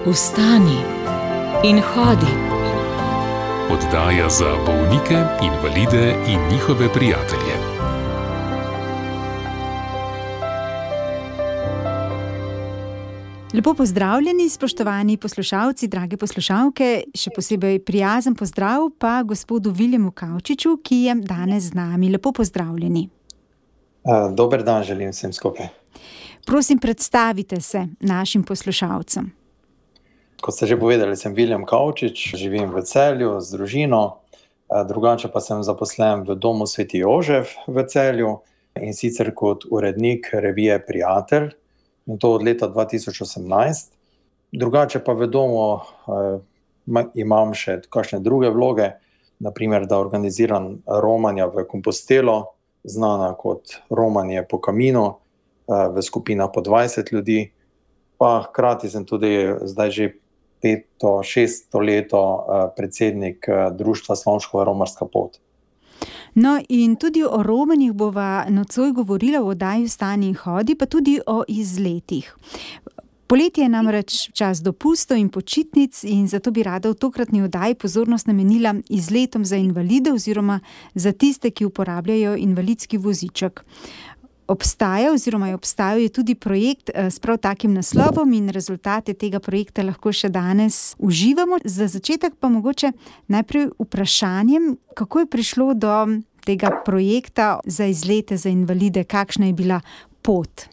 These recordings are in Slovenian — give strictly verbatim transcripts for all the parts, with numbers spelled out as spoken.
Vstani in hodi. Oddaja za bolnike, invalide in njihove prijatelje. Lepo pozdravljeni, spoštovani poslušalci, drage poslušalke, še posebej prijazen pozdrav pa gospodu Viljemu Kavčiču, ki je danes z nami. Lepo pozdravljeni. Dober dan želim vsem skupaj. Prosim, predstavite se našim poslušalcem. Kot ste že povedali, sem Viljem Kavčič, živim v Celju z družino, drugače pa sem zaposlen v Domu Sveti Jožef v Celju in sicer kot urednik revije Prijatelj, in to od leta dva tisoč osemnajst. Drugače pa v domu eh, imam še kakšne druge vloge, naprimer, da organiziram romanja v Kompostelo, znana kot romanje po kaminu, eh, v skupinah po dvajset ljudi, pa hkrati sem tudi zdaj že peto, šesto leto eh, predsednik eh, društva Slomškova romarska pot. No, in tudi o romanjih bova nocoj govorila v oddaji Vstani in hodi, pa tudi o izletih. Poletje je namreč čas dopustov in počitnic in zato bi rada v tokratni oddaji pozornost namenila izletom za invalide oziroma za tiste, ki uporabljajo invalidski voziček. Obstaja oziroma je obstajal tudi projekt s prav takim naslovom in rezultate tega projekta lahko še danes uživamo. Za začetek pa mogoče najprej vprašanjem, kako je prišlo do tega projekta za izlete za invalide, kakšna je bila pot?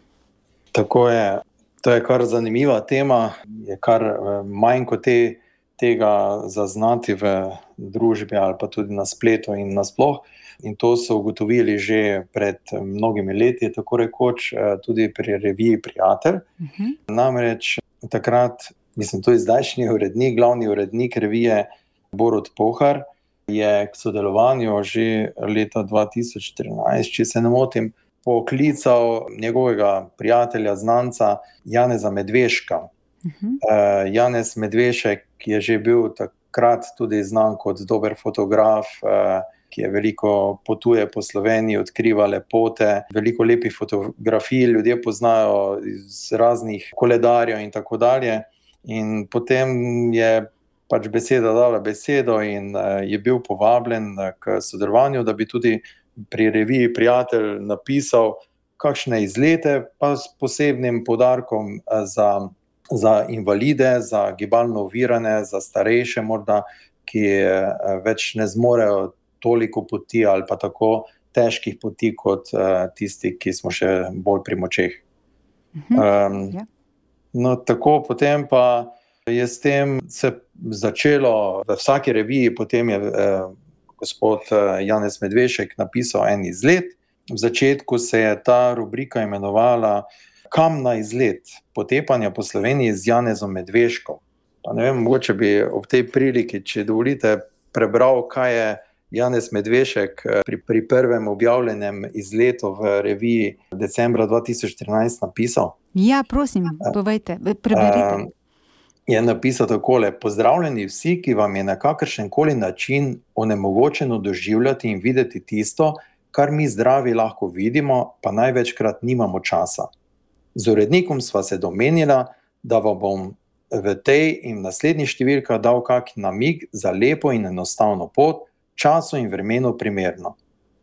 Tako je, to je kar zanimiva tema, je kar manj kot te, tega zaznati v družbi ali pa tudi na spletu in nasploh. In to so ugotovili že pred mnogimi leti, tako rekoč, tudi pri reviji Prijatelj. Uh-huh. Namreč takrat, mislim, to je zdajšnji urednik, glavni urednik revije Borut Pohar, je k sodelovanju že leta dva tisoč trinajst, če se ne motim, poklical njegovega prijatelja, znanca Janeza Medveška. Uh-huh. Uh, Janez Medvešek je že bil takrat tudi znan kot dober fotograf, uh, ki je veliko potuje po Sloveniji, odkriva lepote, veliko lepih fotografij, ljudje poznajo iz raznih koledarjev in tako dalje. In potem je pač beseda dala besedo in je bil povabljen k sodelovanju, da bi tudi pri reviji Prijatelj napisal kakšne izlete, pa s posebnim poudarkom za, za invalide, za gibalno ovirane, za starejše morda, ki več ne zmorejo toliko poti ali pa tako težkih poti kot uh, tisti, ki smo še bolj pri močeh. Um, yeah. No, tako potem pa je s tem se začelo v vsaki reviji, potem je uh, gospod uh, Janez Medvešek napisal en izlet. V začetku se je ta rubrika imenovala Kam na izlet? Potepanja po Sloveniji z Janezom Medveškom. Pa ne vem, mogoče bi ob tej priliki, če dovolite, prebral, kaj je Janez Medvešek pri, pri prvem objavljenem izletu v reviji decembra dva tisoč trinajst napisal. Ja, prosim, povejte, preberite. Je napisal takole: Pozdravljeni vsi, ki vam je na kakršenkoli način onemogočeno doživljati in videti tisto, kar mi zdravi lahko vidimo, pa največkrat nimamo časa. Z urednikom sva se domenila, da vam bom v tej in naslednji številka dal kak namig za lepo in enostavno pot, času in vremenu primerno.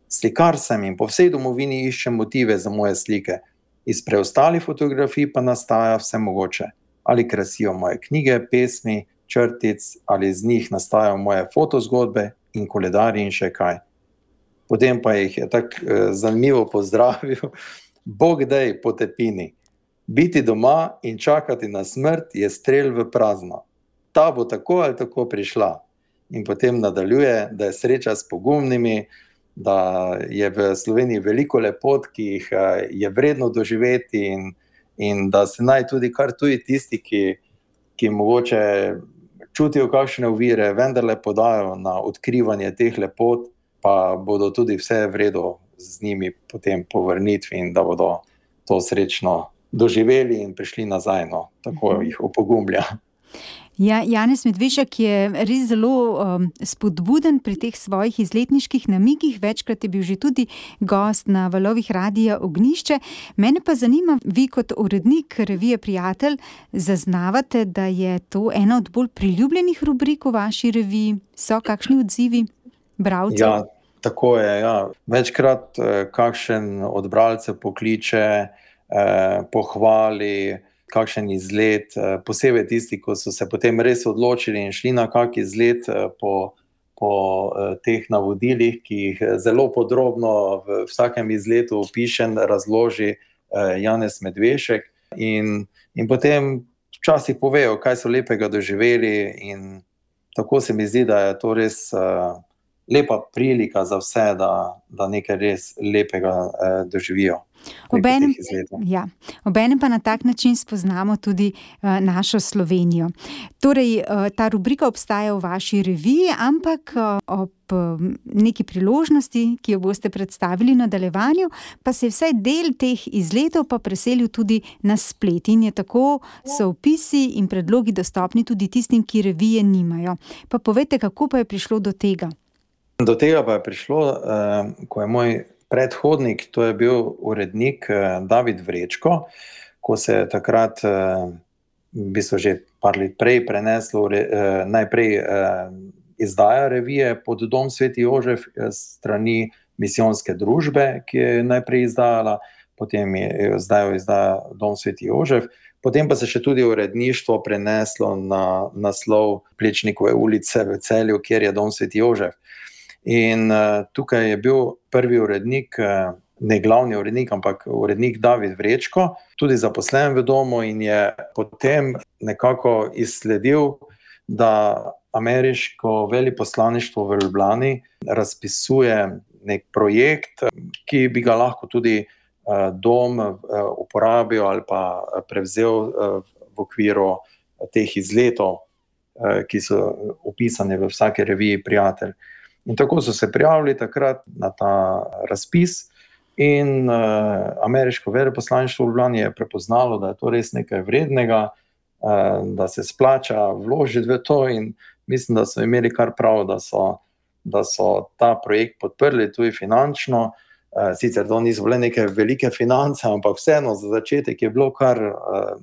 Slikar sem in po vsej domovini iščem motive za moje slike. Iz preostalih fotografij pa nastaja vse mogoče. Ali krasijo moje knjige, pesmi, črtic, ali z njih nastajajo moje fotozgodbe in koledarji in še kaj. Potem pa jih je tako eh, zanimivo pozdravil. Bog dej potepini. Biti doma in čakati na smrt je strel v prazno. Ta bo tako ali tako prišla. In potem nadaljuje, da je sreča s pogumnimi, da je v Sloveniji veliko lepot, ki jih je vredno doživeti in, in da se naj tudi kar tuji tisti, ki, ki mogoče čutijo kakšne ovire, vendarle podajo na odkrivanje teh lepot, pa bodo tudi vse vredo z njimi potem po vrnitvi in da bodo to srečno doživeli in prišli nazaj, no, tako jih opogumlja. Ja, Janez Medvešek je res zelo um, spodbuden pri teh svojih izletniških namigih. Večkrat je bil že tudi gost na valovih Radia Ognjišče. Mene pa zanima, vi kot urednik revije Prijatelj zaznavate, da je to ena od bolj priljubljenih rubrik v vaši reviji? So kakšni odzivi bralcev? Ja, tako je. Ja. Večkrat eh, kakšen od bralcev pokliče, eh, pohvali, kakšen izlet, posebej tisti, ko so se potem res odločili in šli na kak izlet po, po teh navodilih, ki jih zelo podrobno v vsakem izletu opišen, razloži Janez Medvešek in, in potem včasih povejo, kaj so lepega doživeli in tako se mi zdi, da je to res lepa prilika za vse, da, da nekaj res lepega doživijo. Obenem, ja, obenem pa na tak način spoznamo tudi uh, našo Slovenijo. Torej, uh, ta rubrika obstaja v vaši reviji, ampak uh, ob uh, neki priložnosti, ki jo boste predstavili v nadaljevanju, pa se je vsaj del teh izletov pa preselil tudi na splet. In je tako, so opisi in predlogi dostopni tudi tistim, ki revije nimajo. Pa povejte, kako pa je prišlo do tega? Do tega pa je prišlo, uh, ko je moj predhodnik, to je bil urednik David Vrečko, ko se je takrat, v bistvu že par let prej preneslo, najprej izdaja revije pod Dom Sveti Jožef strani misijonske družbe, ki je najprej izdajala, potem je zdaj izdaja Dom Sveti Jožef, potem pa se še tudi uredništvo preneslo na naslov Plečnikove ulice v Celju, kjer je Dom Sveti Jožef. In uh, tukaj je bil prvi urednik, uh, ne glavni urednik, ampak urednik David Vrečko, tudi zaposlen v domu in je potem nekako izsledil, da ameriško veleposlaništvo v Ljubljani razpisuje nek projekt, ki bi ga lahko tudi uh, dom uh, uporabil ali pa prevzel uh, v okviru teh izletov, uh, ki so opisane v vsaki reviji Prijatelj. In tako so se prijavili takrat na ta razpis in uh, ameriško veleposlaništvo v Ljubljani je prepoznalo, da je to res nekaj vrednega, uh, da se splača vložiti v to in mislim, da so imeli kar prav, da so, da so ta projekt podprli tudi finančno. Uh, sicer to niso bile neke velike finance, ampak vseeno za začetek je bilo kar uh,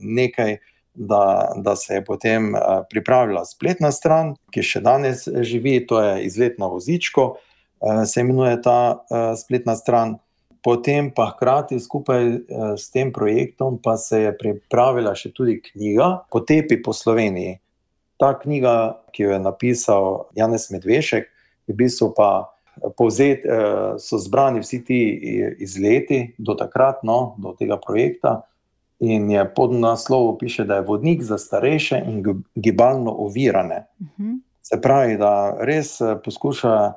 nekaj, Da, da se je potem uh, pripravila spletna stran, ki še danes živi, to je Izlet na vozičku, uh, se imenuje ta uh, spletna stran. Potem pa hkrati skupaj uh, s tem projektom pa se je pripravila še tudi knjiga Potepi po Sloveniji. Ta knjiga, ki jo je napisal Janez Medvešek, v bistvu pa povzet, uh, so zbrani vsi ti izleti do takrat, no, do tega projekta. In je pod naslovom piše, da je vodnik za starejše in gibalno ovirane. Uh-huh. Se pravi, da res poskuša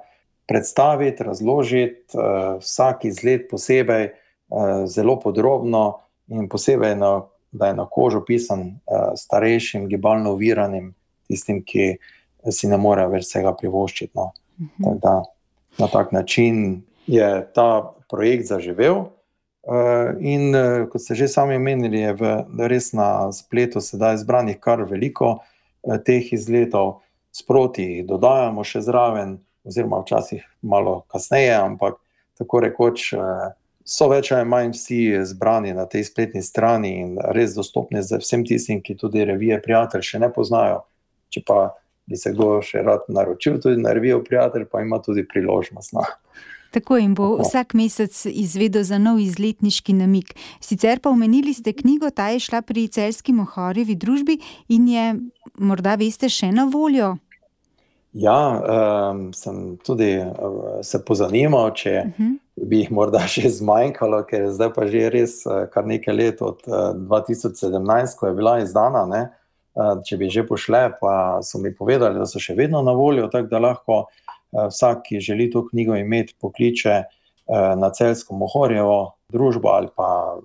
predstaviti, razložiti uh, vsak izlet posebej, uh, zelo podrobno in posebej, na, da je na kožo pisan uh, starejšim, gibalno oviranim, tistim, ki si ne morejo več vsega privoščiti. No. Uh-huh. Tak da, na tak način je ta projekt zaživel. Uh, in uh, kot ste že sami omenili, je v, res na spletu sedaj zbranih kar veliko uh, teh izletov. Sproti dodajamo še zraven, oziroma včasih malo kasneje, ampak tako rekoč uh, so več ali manj vsi zbrani na tej spletni strani in res dostopni za vsem tistim, ki tudi revije Prijatelj še ne poznajo. Če pa bi se kdo še rad naročil tudi na revijo Prijatelj, pa ima tudi priložnost. No. Tako in bo vsak mesec izvedel za nov izletniški namig. Sicer pa omenili ste knjigo, ta je šla pri Celjski Mohorjevi družbi in je, morda veste, še na voljo? Ja, um, sem tudi uh, se pozanimal, če uh-huh. bi jih morda še zmanjkalo, ker zdaj pa že res uh, kar nekaj let od uh, dva tisoč sedemnajst, ko je bila izdana, ne? Uh, če bi že pošle, pa so mi povedali, da so še vedno na voljo, tako da lahko vsak, ki želi to knjigo imeti, pokliče na Celjsko Mohorjevo družbo ali pa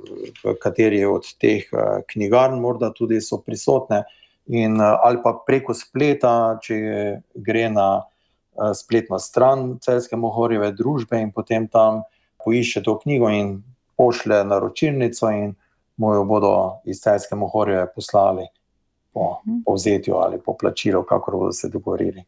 v kateri od teh knjigarn morda tudi so prisotne in, ali pa preko spleta, če gre na spletno stran Celjske Mohorjeve družbe in potem tam poišče to knjigo in pošlje naročilnico in mu jo bodo iz Celjske Mohorjeve poslali. po povzetju ali po plačilu, kakor bodo se dogovorili.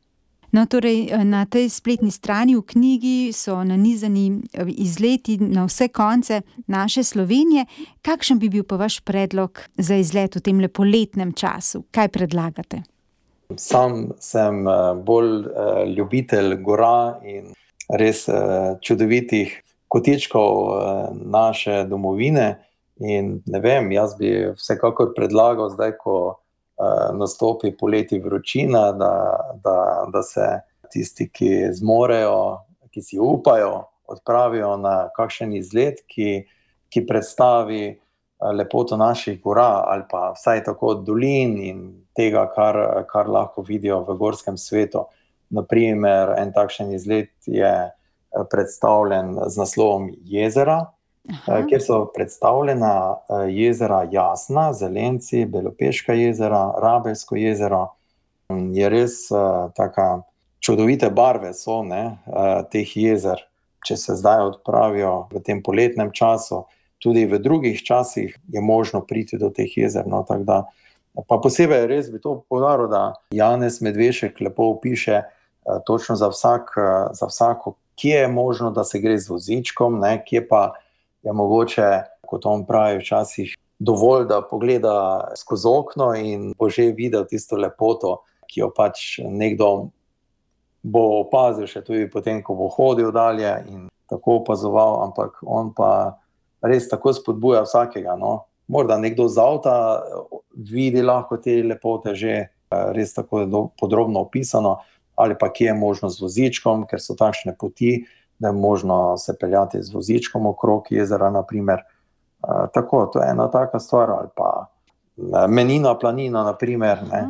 No, torej, na tej spletni strani v knjigi so nanizani izleti na vse konce naše Slovenije. Kakšen bi bil pa vaš predlog za izlet v tem poletnem času? Kaj predlagate? Sam sem bolj ljubitelj gora in res čudovitih kotičkov naše domovine. In ne vem, jaz bi vsekakor predlagal zdaj, ko nastopi poleti vročina, da, da, da se tisti, ki zmorejo, ki si upajo, odpravijo na kakšen izlet, ki, ki predstavi lepoto naših gora ali pa vsaj tako dolin in tega, kar, kar lahko vidijo v gorskem svetu. Naprimer, en takšen izlet je predstavljen z naslovom Jezera, Aha. kjer so predstavljena jezera Jasna, Zelenci, Belopeška jezera, Rabelsko jezero. Je res taka čudovite barve so, ne, teh jezer, če se zdaj odpravijo v tem poletnem času. Tudi v drugih časih je možno priti do teh jezer. No, tak da, pa posebej res bi to poudaril, da Janez Medvešek lepo opiše točno za, vsak, za vsako, kje je možno, da se gre z vozičkom, ne, kje pa je mogoče, kot on pravi, včasih dovolj, da pogleda skozi okno in bo že videl tisto lepoto, ki jo pač nekdo bo opazil še tudi potem, ko bo hodil dalje in tako opazoval, ampak on pa res tako spodbuja vsakega. No. Morda nekdo z avta vidi lahko te lepote že res tako podrobno opisano, ali pa kje je možno z vozičkom, ker so takšne poti, da je možno se peljati z vozičkom okrog jezera, naprimer. E, tako, to je ena taka stvar, ali pa Menina planina, naprimer, ne.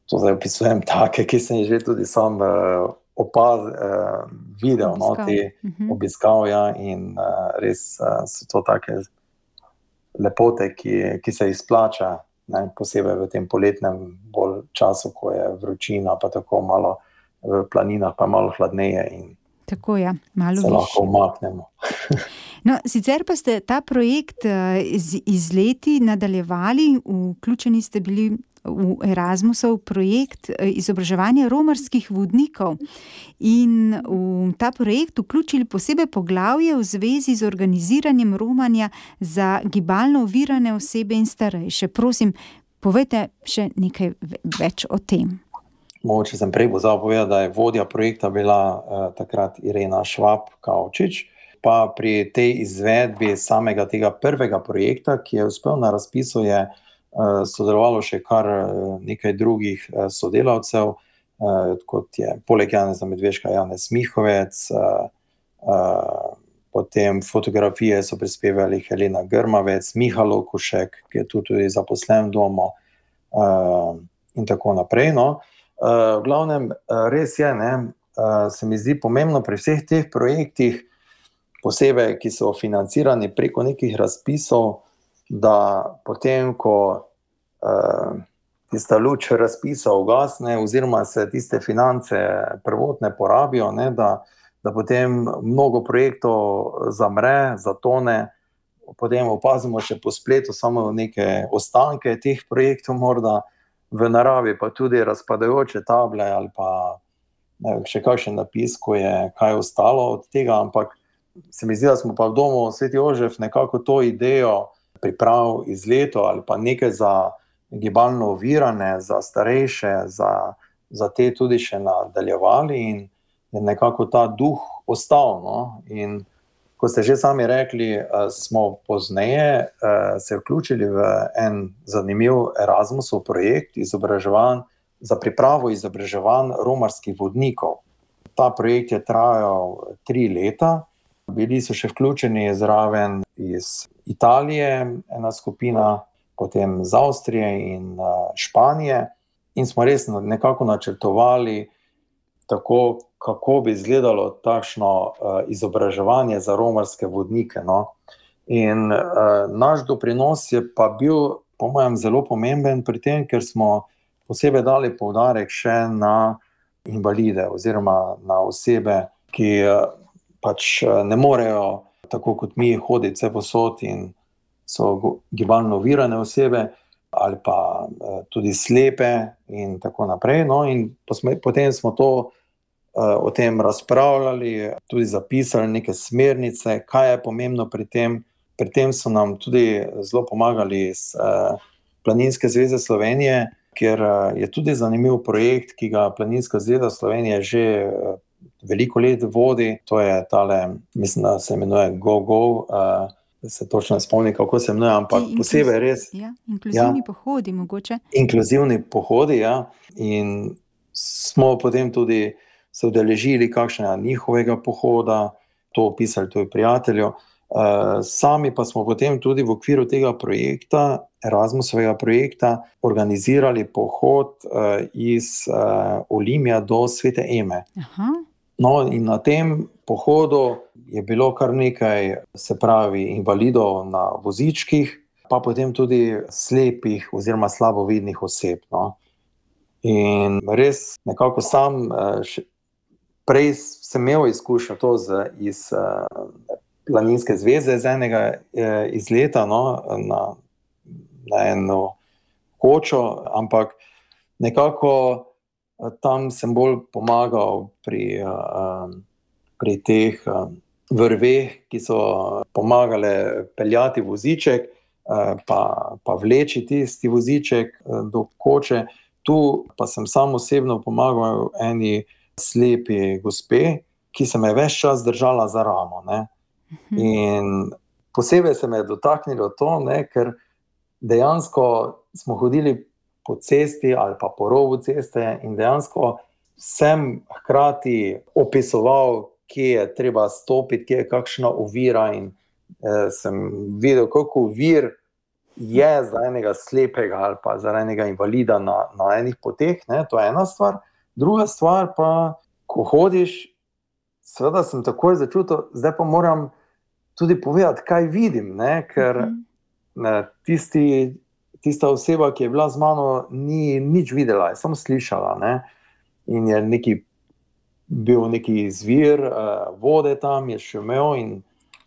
To zdaj opisujem take, ki sem že tudi sam uh, opaz, uh, videl, no, te uh-huh. obiskal, ja, in uh, res uh, so to take lepote, ki, ki se izplača, ne, posebej v tem poletnem bolj času, ko je vročina, pa tako malo v planinah, pa malo hladneje in tako, ja, malo se lahko umaknemo. No, sicer pa ste ta projekt z izleti nadaljevali, vključeni ste bili v Erasmusov projekt izobraževanja romarskih vodnikov in v ta projekt vključili posebej poglavje v zvezi z organiziranjem romanja za gibalno ovirane osebe in starejše. Prosim, povejte še nekaj več o tem. Mogoče sem prej pozabil povedati, da je vodja projekta bila eh, takrat Irena Švab-Kavčič, pa pri tej izvedbi samega tega prvega projekta, ki je uspel na razpisu, je eh, sodelovalo še kar nekaj drugih eh, sodelavcev, eh, kot je poleg Janeza Medveška Janez Mihovec, eh, eh, potem fotografije so prispevali Helena Grmavec, Miha Lokušek, ki je tudi zaposlen v domu eh, in tako naprej, no. Uh, v glavnem, uh, res je, ne, uh, se mi zdi pomembno pri vseh teh projektih, posebej, ki so financirani preko nekih razpisov, da potem, ko uh, tista luč razpisa ugasne oziroma se tiste finance prvotne porabijo, ne, da, da potem mnogo projektov zamre, zatone, potem opazimo še po spletu samo neke ostanke teh projektov morda, v naravi pa tudi razpadajoče table ali pa ne, še kakšen napis, ko je kaj ostalo od tega, ampak se mi zdi, da smo pa v domu Sveti Jožef nekako to idejo priprav izletov ali pa nekaj za gibalno ovirane, za starejše, za, za te tudi še nadaljevali in je nekako ta duh ostal, no, in ko ste že sami rekli, smo pozneje se vključili v en zanimiv Erasmusov projekt izobraževanj za pripravo izobraževanj romarskih vodnikov. Ta projekt je trajal tri leta, bili so še vključeni zraven iz Italije, ena skupina, potem iz Avstrije in Španije in smo res nekako načrtovali tako, kako bi izgledalo takšno uh, izobraževanje za romarske vodnike. No. In uh, naš doprinos je pa bil, po mojem, zelo pomemben pri tem, ker smo posebej dali poudarek še na invalide oziroma na osebe, ki uh, pač uh, ne morejo, tako kot mi, hoditi vse posod in so gibalno ovirane osebe, ali pa tudi slepe in tako naprej. No, in potem smo to, o tem razpravljali, tudi zapisali neke smernice, kaj je pomembno pri tem. Pri tem so nam tudi zelo pomagali iz Planinske zveze Slovenije, kjer je tudi zanimiv projekt, ki ga Planinska zveza Slovenije že veliko let vodi. To je tale, mislim, da se imenuje Go Go, da se točno ne spomnim, kako se imenuje, ampak inkluz... posebej res. Ja, inkluzivni ja, pohodi mogoče. Inkluzivni pohodi, ja. In smo potem tudi se udeležili kakšnega njihovega pohoda, to opisali tudi prijatelju. Uh, sami pa smo potem tudi v okviru tega projekta, Erasmusovega projekta, organizirali pohod uh, iz uh, Olimja do Svete Eme. Aha. No, in na tem pohodu je bilo kar nekaj, se pravi, invalidov na vozičkih, pa potem tudi slepih oziroma slabovidnih oseb. No. In res nekako sam uh, še, prej sem imel izkušnjo to z, iz uh, Planinske zveze z enega izleta, no, na, na eno kočo, ampak nekako tam sem bolj pomagal pri, pri teh vrveh, ki so pomagale peljati voziček, pa, pa vleči tisti voziček do koče. Tu pa sem sam osebno pomagal eni slepi gospe, ki se me je ves čas držala za ramo, ne. In posebej se me je dotaknilo to, ne, ker dejansko smo hodili po cesti ali pa po robu ceste in dejansko sem hkrati opisoval, kje je treba stopiti, kje je kakšna ovira in eh, sem videl, koliko ovir je za enega slepega ali pa za enega invalida na, na enih poteh, ne, to je ena stvar. Druga stvar pa, ko hodiš, seveda sem takoj začutil, zdaj pa moram tudi povedati, kaj vidim, ne? Ker ne, tisti, tista oseba, ki je bila z mano, ni nič videla, je samo slišala. Ne? In je neki, bil neki zvir uh, vode tam, je šumel in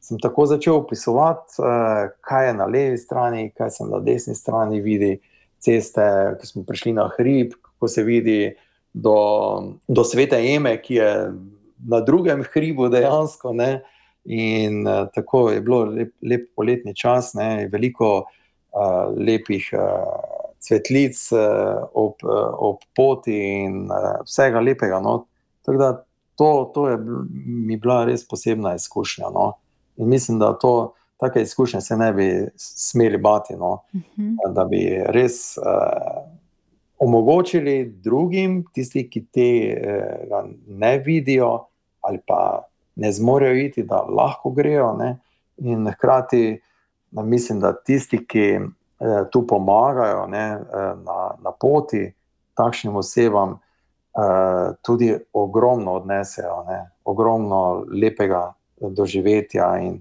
sem tako začel opisovati, uh, kaj je na levi strani, kaj sem na desni strani vidi ceste, ko smo prišli na hrib, kako se vidi do, do Svete Eme, ki je na drugem hribu dejansko, ne. In uh, tako je bilo lep, lep poletni čas, ne, veliko uh, lepih uh, cvetlic uh, ob, uh, ob poti in uh, vsega lepega, no. Tako da to, to je mi bila res posebna izkušnja, no. In mislim, da to, take izkušnje se ne bi smeli bati, no. Uh-huh. Da bi res uh, omogočili drugim, tisti, ki tega ne vidijo ali pa ne zmorejo iti, da lahko grejo, ne? In hkrati mislim, da tisti, ki eh, tu pomagajo, ne, na, na poti takšnim osebam, eh, tudi ogromno odnesejo, ne? Ogromno lepega doživetja. In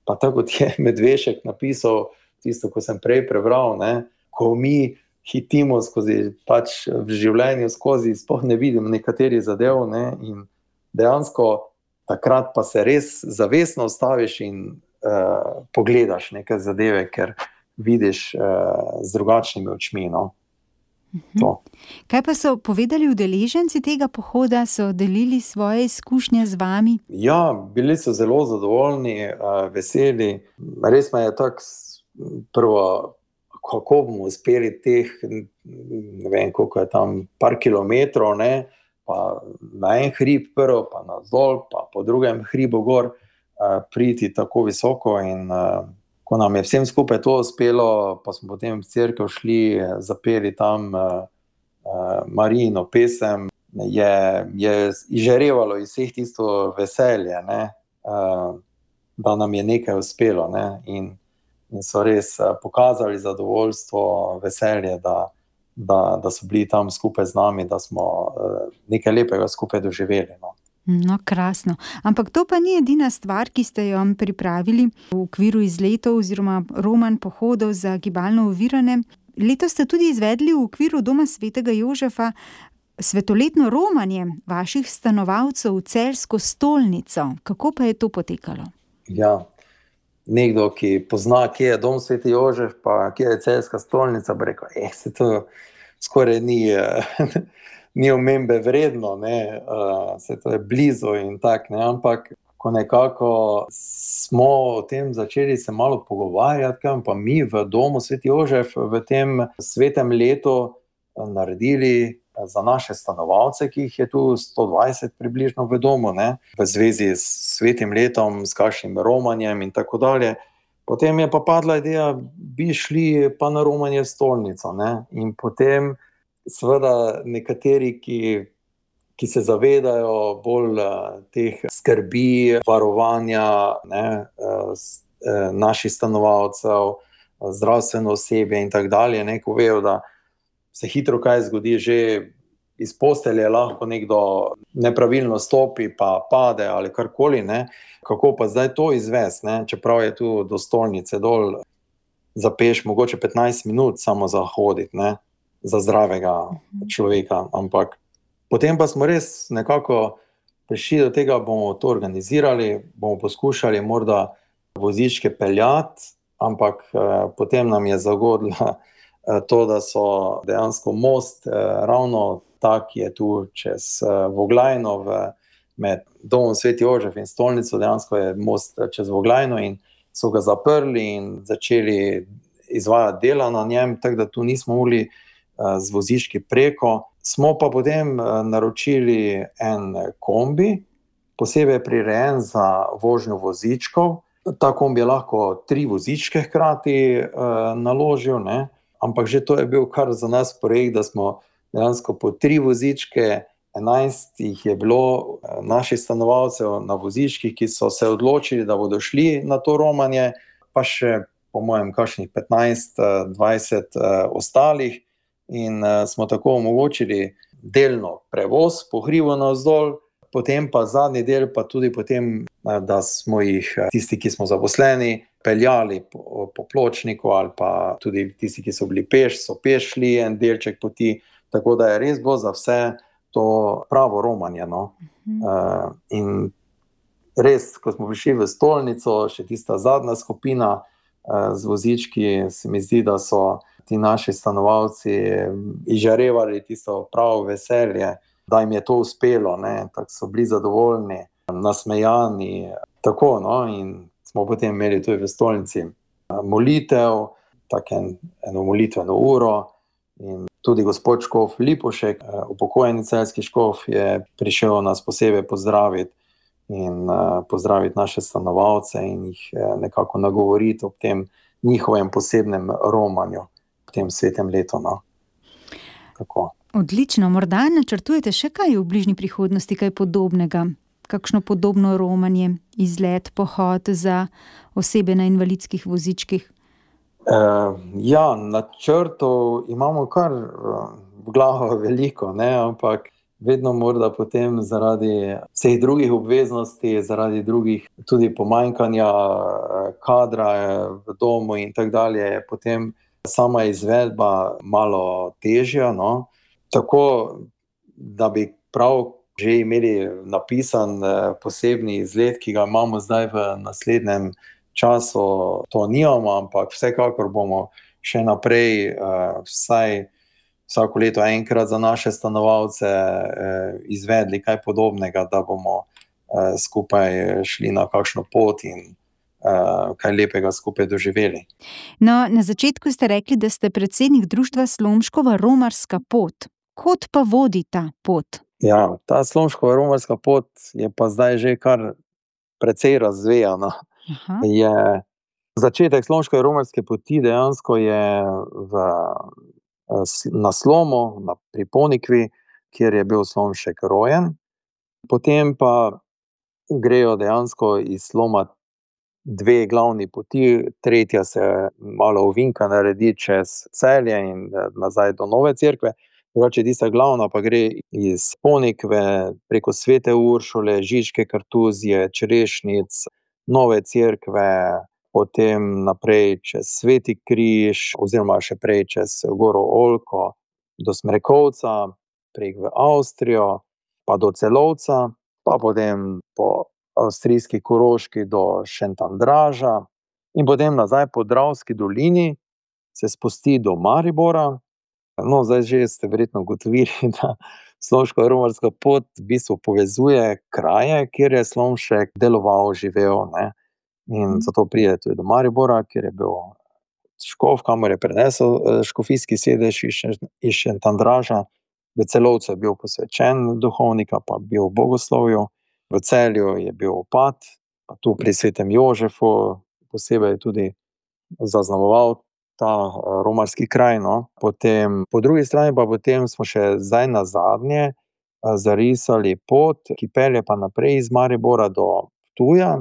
pa tako kot je Medvešek napisal, tisto, ko sem prej prebral, ne? Ko mi hitimo skozi pač v življenju, skozi sploh ne vidim nekaterih zadev, ne? In dejansko takrat pa se res zavestno ustaviš in uh, pogledaš neke zadeve, ker vidiš uh, z drugačnimi očmi. No? Uh-huh. Kaj pa so povedali udeleženci tega pohoda, so delili svoje izkušnje z vami? Ja, bili so zelo zadovoljni, uh, veseli. Res me je tako prvo, kako bomo uspeli teh, ne vem, koliko je tam, par kilometrov, ne, pa na en hrib prvo, pa na dol, pa po drugem hribu gor, uh, priti tako visoko. In uh, ko nam je vsem skupaj to uspelo, pa smo potem v cerkev šli, zapeli tam uh, uh, Marijino pesem, je, je izžarevalo iz vseh tisto veselje, ne, uh, da nam je nekaj uspelo. Ne, in, in so res uh, pokazali zadovoljstvo, veselje, da Da, da so bili tam skupaj z nami, da smo uh, nekaj lepega skupaj doživeli. No. No, krasno. Ampak to pa ni edina stvar, ki ste jo pripravili v okviru izletov oziroma roman pohodov za gibalno ovirane. Letos ste tudi izvedli v okviru Doma svetega Jožefa svetoletno romanje vaših stanovalcev v Celjsko stolnico. Kako pa je to potekalo? Ja, nekdo, ki pozna, kje je dom Sveti Jožef, pa kje je celjska stolnica, bi rekel, eh, se to skoraj ni, ni omembe vredno, ne, uh, se to je blizu in tak, ne, ampak ko nekako smo o tem začeli se malo pogovarjati, kaj pa mi v domu Sveti Jožef v tem svetem letu naredili za naše stanovalce, ki jih je tu sto dvajset približno v domu, ne, v zvezi s svetim letom, s kakšnim romanjem in tako dalje. Potem je pa padla ideja, bi šli pa na romanje v stolnico, ne, in potem seveda nekateri, ki, ki se zavedajo bolj teh skrbi, varovanja, ne, naših stanovalcev, zdravstveno osebje in tako dalje, ne, ko vejo, da se hitro kaj zgodi, že iz postelje lahko nekdo nepravilno stopi, pa pade ali karkoli, ne, kako pa zdaj to izvesti, ne, čeprav je tu do stolnice dol za peš mogoče petnajst minut samo za hoditi, ne, za zdravega človeka, ampak potem pa smo res nekako prišli do tega, bomo to organizirali, bomo poskušali morda vozičke peljati, ampak eh, potem nam je zagodla to, da so dejansko most, ravno tak je tu čez Voglajno, v, med domom Sveti Jožef in stolnico, dejansko je most čez Voglajno in so ga zaprli in začeli izvajati dela na njem, tako da tu nismo mogli z vozički preko. Smo pa potem naročili en kombi, posebej prirejen za vožnjo vozičkov. Ta kombi je lahko tri vozičke hkrati naložil, ne. Ampak že to je bil kar za nas projekt, da smo dejansko po tri vozičke, enajst jih je bilo naših stanovalcev na vozičkih, ki so se odločili, da bodo šli na to romanje, pa še po mojem kakšnih petnajst, dvajset ostalih in smo tako omogočili delno prevoz po hribu navzdol, potem pa zadnji del pa tudi potem, da smo jih tisti, ki smo zaposleni, peljali po, po pločniku ali pa tudi tisti, ki so bili peš, so peš šli en delček poti, tako da je res bilo za vse to pravo romanje, no. Mhm. Uh, in res, ko smo prišli v stolnico, še tista zadnja skupina uh, z vozički, se mi zdi, da so ti naši stanovalci izžarevali tisto pravo veselje, da jim je to uspelo, ne, tako so bili zadovoljni, nasmejani, tako, no, in smo potem imeli tudi v stolnici molitev, tako en, eno molitveno uro in tudi gospod škof Lipovšek, upokojeni celjski škof, je prišel nas posebej pozdraviti in pozdraviti naše stanovalce in jih nekako nagovoriti ob tem njihovem posebnem romanju v tem svetem letu, no. Tako. Odlično, morda načrtujete še kaj v bližnji prihodnosti, kaj podobnega? Kakšno podobno romanje, izlet, pohod za osebe na invalidskih vozičkih? Uh, ja, načrtov imamo kar uh, v glavo veliko, ne, ampak vedno morda potem zaradi vseh drugih obveznosti, zaradi drugih tudi pomanjkanja kadra v domu in tako dalje, je potem sama izvedba malo težja, no. Tako, da bi prav že imeli napisan posebni izlet, ki ga imamo zdaj v naslednjem času, to nimamo, ampak vsekakor bomo še naprej vsaj vsako leto enkrat za naše stanovalce izvedli kaj podobnega, da bomo skupaj šli na kakšno pot in kaj lepega skupaj doživeli. No, na začetku ste rekli, da ste predsednik društva Slomškova romarska pot. Kod pa vodi ta pot? Ja, ta Slomškova romarska pot je pa zdaj že kar precej razvejana. Aha. Je začetek Slomškove romarske poti dejansko je v, na Slomu, na, pri Ponikvi, kjer je bil Slomšek rojen. Potem pa grejo dejansko iz Sloma dve glavni poti, tretja se malo ovinka naredi čez Celje in nazaj do Nove Cerkve. Drugače, tista glavna pa gre iz Ponikve preko Svete Uršule, Žičke Kartuzije, Črešnic, Nove Cerkve, potem naprej čez Sveti Križ, oziroma še prej čez Goro Oljko do Smrekovca, prek v Avstrijo, pa do Celovca, pa potem po avstrijski Koroški do Šentandraža, in potem nazaj po Dravski dolini se spusti do Maribora. No, zdaj že ste verjetno ugotovili, da Slomško-romarska pot v bistvu povezuje kraje, kjer je Slomšek deloval, živel, ne. In zato pride tudi do Maribora, kjer je bil škof, kamor je prenesel škofijski sedež iz Šentjandraža. V Celovcu je bil posvečen duhovnika, pa bil v bogoslovju. V Celju je bil opat, pa tu pri Svetem Jožefu posebej tudi zaznamoval ta romarski kraj, no. Potem, po drugi strani pa potem smo še zdaj nazadnje zarisali pot, ki pelje pa naprej iz Maribora do Ptuja,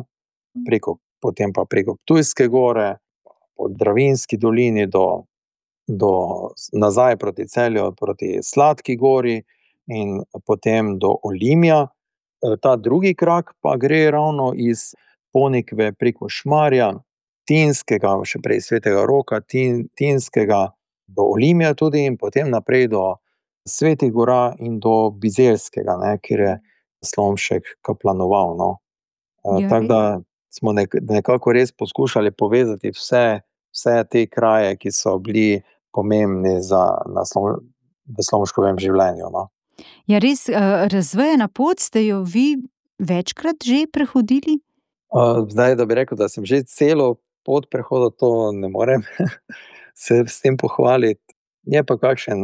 preko, potem pa preko Ptujske gore, po Dravinjski dolini do, do nazaj proti Celju, proti Sladki gori in potem do Olimja. Ta drugi krak pa gre ravno iz Ponikve preko Šmarja, Tinskega, še prej Svetega Roka, Tin, Tinskega do Olimja tudi in potem naprej do Svetih gora in do Bizeljskega, ne, kjer je Slomšek kaplanoval, no. Ja, Tako res. da smo nekako res poskušali povezati vse, vse te kraje, ki so bili pomembni za, na v Slomškovem življenju, no. Ja, res, razvejana pot, ste jo vi večkrat že prehodili? Zdaj, da bi rekel, da sem že celo pot prehodil, to ne morem se s tem pohvaliti. Je pa kakšen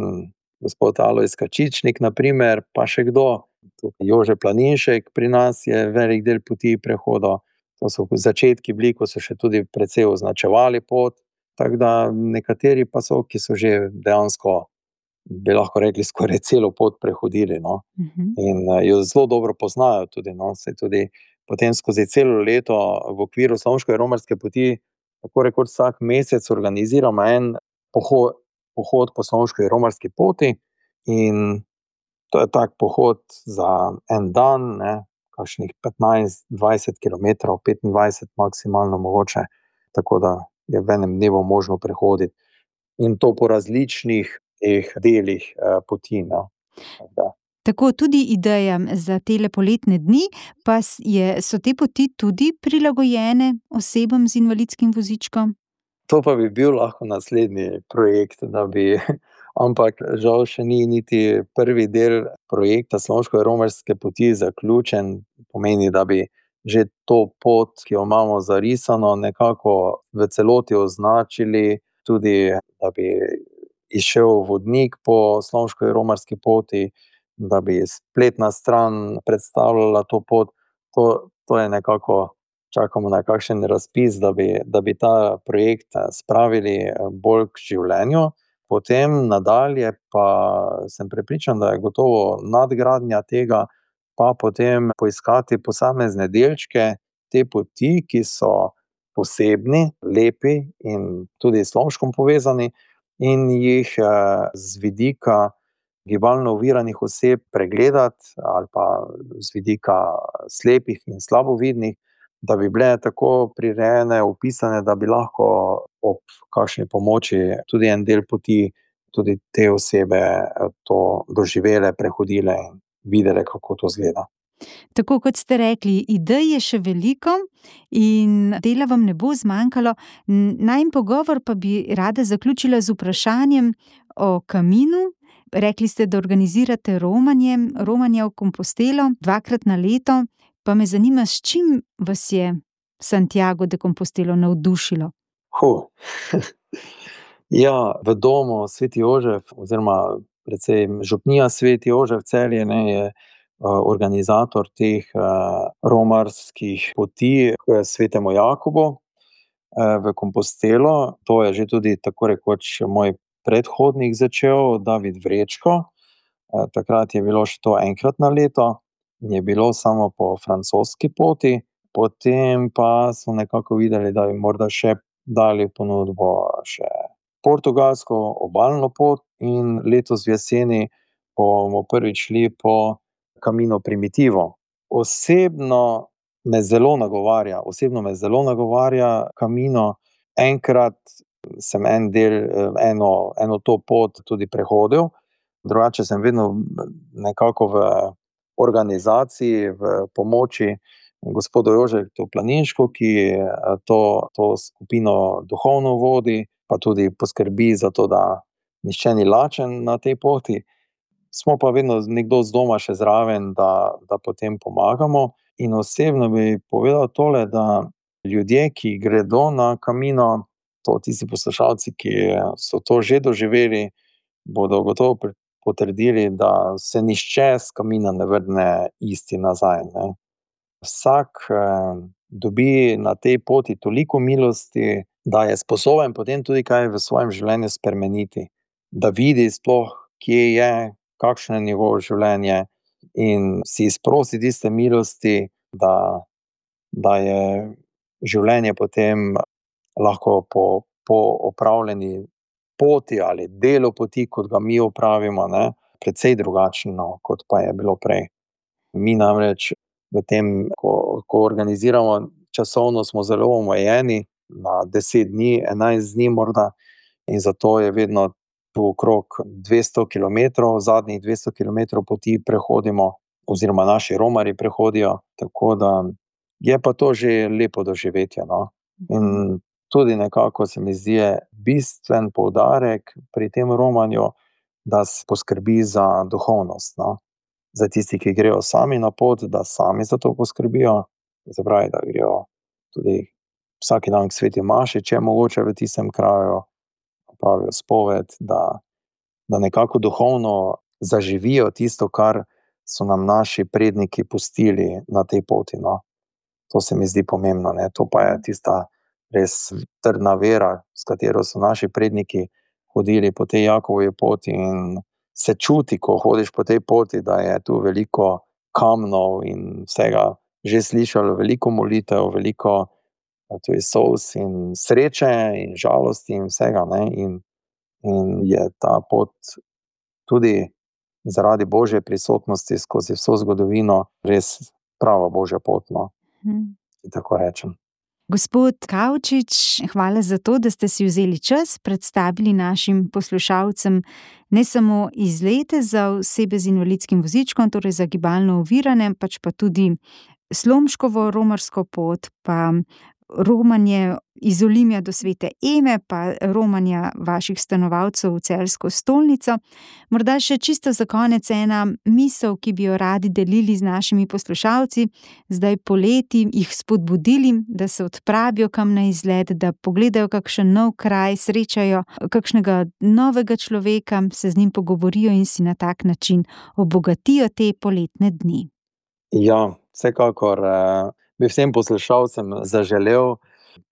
gospod Alojz Kačičnik, na primer, pa še kdo. Jože Planinšek pri nas je velik del poti prehodil. To so začetki bili, ko so še tudi precej označevali pot. Tako da nekateri pa so, ki so že dejansko, bi lahko rekli, skoraj celo pot prehodili, no. Mhm. In jo zelo dobro poznajo tudi, no, saj tudi potem skozi celo leto v okviru Slomškove romarske poti tako rekoč vsak mesec organiziramo en pohod, pohod po Slomškovi romarski poti in to je tak pohod za en dan, ne, kakšnih petnajst, dvajset kilometrov, petindvajset maksimalno mogoče, tako da je v enem dnevu možno prehoditi. In to po različnih teh delih poti, no. Da. Tako, tudi ideja za tele poletne dni, pa je, so te poti tudi prilagojene osebam z invalidskim vozičkom? To pa bi bil lahko naslednji projekt, da bi, ampak žal še ni niti prvi del projekta Slomškove romarske poti zaključen. Pomeni, da bi že to pot, ki jo imamo zarisano, nekako v celoti označili, tudi da bi izšel vodnik po Slomškovi romarski poti, da bi spletna stran predstavljala to pot. To, to je nekako, čakamo na kakšen razpis, da bi, da bi ta projekt spravili bolj k življenju. Potem nadalje pa sem prepričan, da je gotovo nadgradnja tega, pa potem poiskati posamezne delčke te poti, ki so posebni, lepi in tudi s Slomškom povezani, in jih z vidika gibalno oviranih oseb pregledati ali pa z vidika slepih in slabovidnih, da bi bile tako prirejene, opisane, da bi lahko ob kakšni pomoči tudi en del poti, tudi te osebe to doživele, prehodile in videle, kako to izgleda. Tako kot ste rekli, idej je še veliko in dela vam ne bo zmanjkalo. Najin pogovor pa bi rada zaključila z vprašanjem o kaminu. Rekli ste, da organizirate romanje, romanje v Compostelo dvakrat na leto. Pa me zanima, s čim vas je Santiago de Compostelo navdušilo? Huh. Ja, v domu Sveti Jožef oziroma precej župnija Sveti Jožef Celje, ne, je organizator teh romarskih poti k Svetemu Jakobu v Compostelo. To je že tudi tako rekoč moj predhodnik začel, David Vrečko. Takrat je bilo še to enkrat na leto. Je bilo samo po francoski poti, potem pa so nekako videli, da bi morda še dali ponudbo še portugalsko obalno pot in letos v jeseni bomo prvič šli po Camino Primitivo. Osebno me zelo nagovarja, osebno me zelo nagovarja Camino. Enkrat sem en del, eno, eno to pot tudi prehodil, drugače sem vedno nekako v organizaciji, v pomoči gospodu Jožetu Planinšku, ki to, to skupino duhovno vodi, pa tudi poskrbi za to, da nihče ni lačen na tej poti. Smo pa vedno nekdo z doma še zraven, da, da potem pomagamo. In osebno bi povedal tole, da ljudje, ki gredo na Camino, to tisti poslušalci, ki so to že doživeli, bodo gotovo potrdili, da se nihče s Camina ne vrne isti nazaj, ne. Vsak eh, dobi na tej poti toliko milosti, da je sposoben potem tudi kaj v svojem življenju spremeniti. Da vidi sploh, kje je, kakšno je njegovo življenje in si izprosi tiste milosti, da, da je življenje potem lahko po, po opravljeni poti ali delu poti, kot ga mi opravimo, ne, precej drugačno, kot pa je bilo prej. Mi namreč v tem, ko, ko organiziramo, časovno smo zelo omejeni na deset dni, enajst dni morda, in zato je vedno tu okrog dvesto kilometrov, zadnjih dvesto kilometrov poti prehodimo, oziroma naši romarji prehodijo, tako da je pa to že lepo doživetje, no. In tudi nekako se mi zdi bistven poudarek pri tem romanju, da se poskrbi za duhovnost, no. Za tisti, ki grejo sami na pot, da sami za to poskrbijo, se pravi, da grejo tudi vsak dan k sveti maši, če je mogoče v tistem kraju, pravijo spoved, da, da nekako duhovno zaživijo tisto, kar so nam naši predniki pustili na tej poti, no. To se mi zdi pomembno, ne. To pa je tista res trdna vera, s katero so naši predniki hodili po tej Jakovovi poti, in se čuti, ko hodiš po tej poti, da je tu veliko kamnov in vsega že slišalo, veliko molitev, veliko tudi solz in sreče in žalosti in vsega, ne. In, in je ta pot tudi zaradi Božje prisotnosti skozi vso zgodovino res prava Božja pot, no. Hmm. Tako rečem. Gospod Kavčič, hvala za to, da ste si vzeli čas, predstavili našim poslušalcem ne samo izlete za osebe z invalidskim vozičkom, torej za gibalno ovirane, pač pa tudi Slomškovo romarsko pot, pa romanje iz Olimja do Svete Eme, pa romanja vaših stanovalcev v Celjsko stolnico. Morda še čisto za konec ena misel, ki bi jo radi delili z našimi poslušalci, zdaj poleti jih spodbudili, da se odpravijo kam na izlet, da pogledajo kakšen nov kraj, srečajo kakšnega novega človeka, se z njim pogovorijo in si na tak način obogatijo te poletne dni. Ja, vsekakor eh, bi vsem poslušalcem zaželel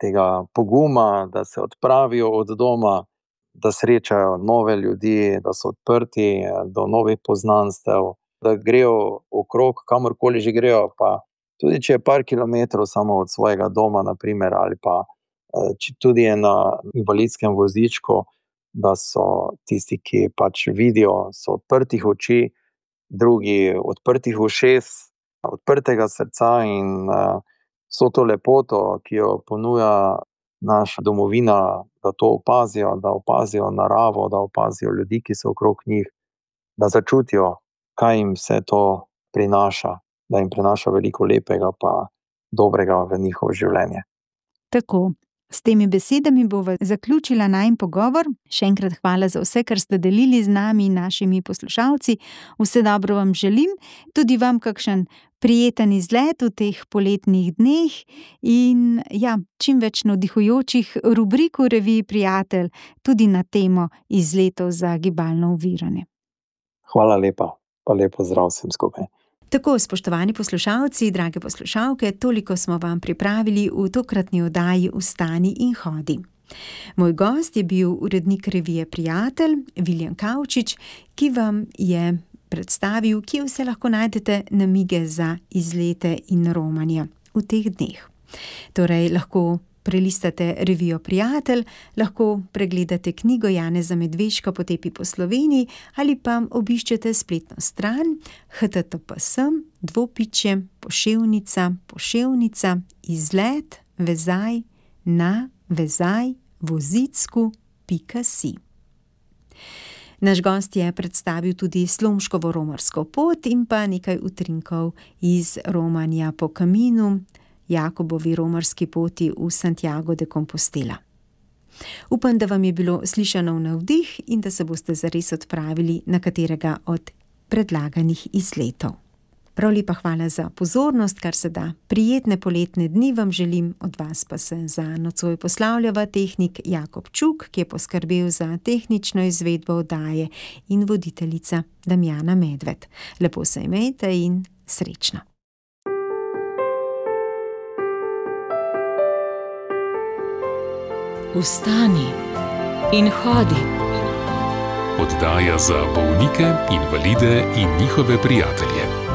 tega poguma, da se odpravijo od doma, da srečajo nove ljudi, da so odprti do novih poznanstev, da grejo okrog, kamorkoli že grejo, pa tudi če je par kilometrov samo od svojega doma, naprimer, ali pa če tudi je na invalidskem vozičku, da so tisti, ki pač vidijo, so odprtih oči, drugi odprtih ušes, odprtega srca in uh, vso to lepoto, ki jo ponuja naša domovina, da to opazijo, da opazijo naravo, da opazijo ljudi, ki so okrog njih, da začutijo, kaj jim vse to prinaša, da jim prinaša veliko lepega pa dobrega v njihovo življenje. Tako. S temi besedami bova zaključila najin pogovor. Še enkrat hvala za vse, kar ste delili z nami in našimi poslušalci. Vse dobro vam želim, tudi vam kakšen prijeten izlet v teh poletnih dneh in ja, čim več navdihujočih rubrik v reviji Prijatelj, tudi na temo izletov za gibalno ovirane. Hvala lepa, pa lepo zdrav vsem skupaj. Tako, spoštovani poslušalci, drage poslušalke, toliko smo vam pripravili v tokratni oddaji Vstani in hodi. Moj gost je bil urednik revije Prijatelj, Viljem Kavčič, ki vam je predstavil, kje vse lahko najdete namige za izlete in romanje v teh dneh. Torej, lahko prelistate revijo Prijatelj, lahko pregledate knjigo Janeza Medveška Potepi po Sloveniji ali pa obiščete spletno stran h t t p s dvopičje poševnica poševnica izlet vezaj na vezaj vozicku pika si. Naš gost je predstavil tudi Slomškovo romarsko pot in pa nekaj utrinkov iz romanja po Caminu, Jakobovi romarski poti v Santiago de Compostela. Upam, da vam je bilo slišano v navdih in da se boste zares odpravili na katerega od predlaganih izletov. Prav lepa hvala za pozornost, kar se da prijetne poletne dni vam želim, od vas pa se za nocoj poslavljava tehnik Jakob Čuk, ki je poskrbel za tehnično izvedbo oddaje, in voditeljica Damjana Medved. Lepo se imejte in srečno. Vstani in hodi. Oddaja za bolnike, invalide in njihove prijatelje.